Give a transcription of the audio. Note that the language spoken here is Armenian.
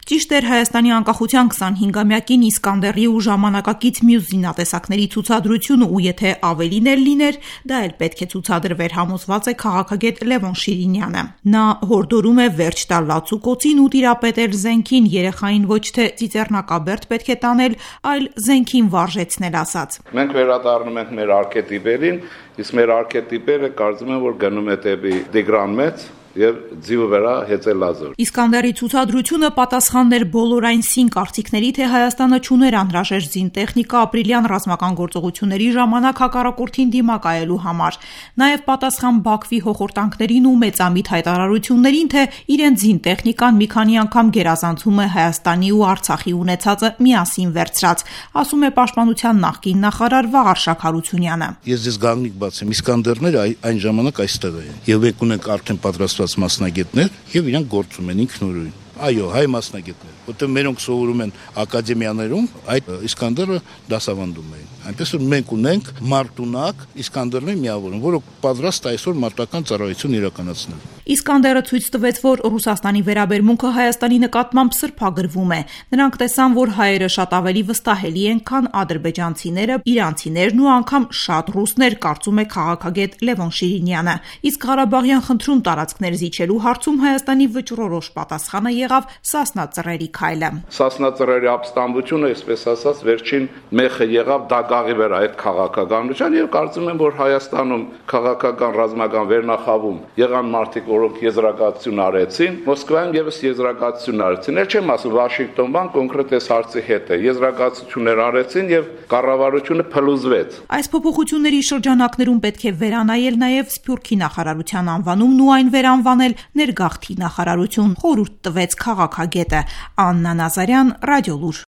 Ճիշտ էր, Հայաստանի անկախության 25-ամյակին Իսկանդերի ու ժամանակակից մյուս զինատեսակների ցուցադրությունը ու եթե ավելին էլ լիներ, դա էլ պետք է ցուցադրվեր, համոզված է քաղաքագետ Լևոն Շիրինյանը։ Նա հորդորում է վերջ տալ լացուկոցին ու տիրապետել զենքին, երեխային ոչ թե ծիծեռնակաբերդ պետք է տանել, այլ զենքին վարժեցնել ասած։ Մենք վերադառնում ենք մեր արքետիպերին, իսկ մեր արքետիպերը կարծում եմ, որ գնում է դեպի Տիգրան Մեծ եւ ձիու վրա հեծելազոր։ Իսկանդերի ցուցադրությունը պատասխաններ բոլոր այն սին կարծիքների, թե Հայաստանը չուներ անհրաժեշտ զինտեխնիկա ապրիլյան ռազմական գործողությունների ժամանակ հակառակորդին դիմակայելու համար։ Նաև պատասխան Բաքվի հոխորտանքներին ու մեծամիտ հայտարարություններին, թե իրենց զինտեխնիկան մի քանի անգամ գերազանցում է Հայաստանի ու Արցախի ունեցածը միասին վերցրած, ասում է Պաշտպանության նախկին նախարար Վաղար Շաքարությունյանը։ Ես ձեզ գաղտնիք բացեմ, Իսկանդերները այն ժամանակ այստեղ էին եւ եկուն ենք արդեն պատրաստված մասնագետներ եւ իրանք գործում են ինքնուրույն։ Այո, հայ մասնագետներ, որտեղ մերոնք սովորում են ակադեմիաներում, այդ Իսկանդերը դասավանդում էին։ Այնպես որ մենք ունենք մարտունակ Իսկանդերներ միավորում, որոնք պատրաստ այսօր մարտական ծառայություն իրականացնել։ Իսկանդերը ցույց տվեց, որ Ռուսաստանի վերաբերմունքը Հայաստանի նկատմամբ սրբագրվում է։ Նրանք տեսան, որ հայերը շատ ավելի վստահելի են, քան ադրբեջանցիները, իրանցիներն ու անգամ շատ ռուսներ, կարծում է քաղաքագետ Լևոն Շիրինյանը։ Իսկ Ղարաբաղյան խնդրում տարածքներ զիջելու հարցում Հայաստանի վճռորոշ պատասխանը եղավ Սասնա ծռերի քայլը։ Սասնա ծռերի ապստամբությունը, այսպես ասած, վերջին մեխը եղավ դագաղի վրա այդ քաղաքականության եւ կարծում եմ, որ Հայաստանում քաղաքական ռազմական վերնախավում եղան մարդիկ, որոնք եզրակացություն արեցին, Մոսկվայում եւս եզրակացություն արեցին։ Էլ չեմ ասում Վաշինգտոնում կոնկրետ այս հարցի հետ է։ Եզրակացություններ արեցին եւ կառավարությունը փլուզվեց։ Այս փոփոխությունների շրջանակներում պետք է վերանայել նաեւ Սփյուռքի նախարարության անվանումն ու այն վերանվանել Ներգաղթի նախարարություն, խորհուրդ տվեց քաղաքագետը։ Աննա Նազարյան, Ռադիոլուր։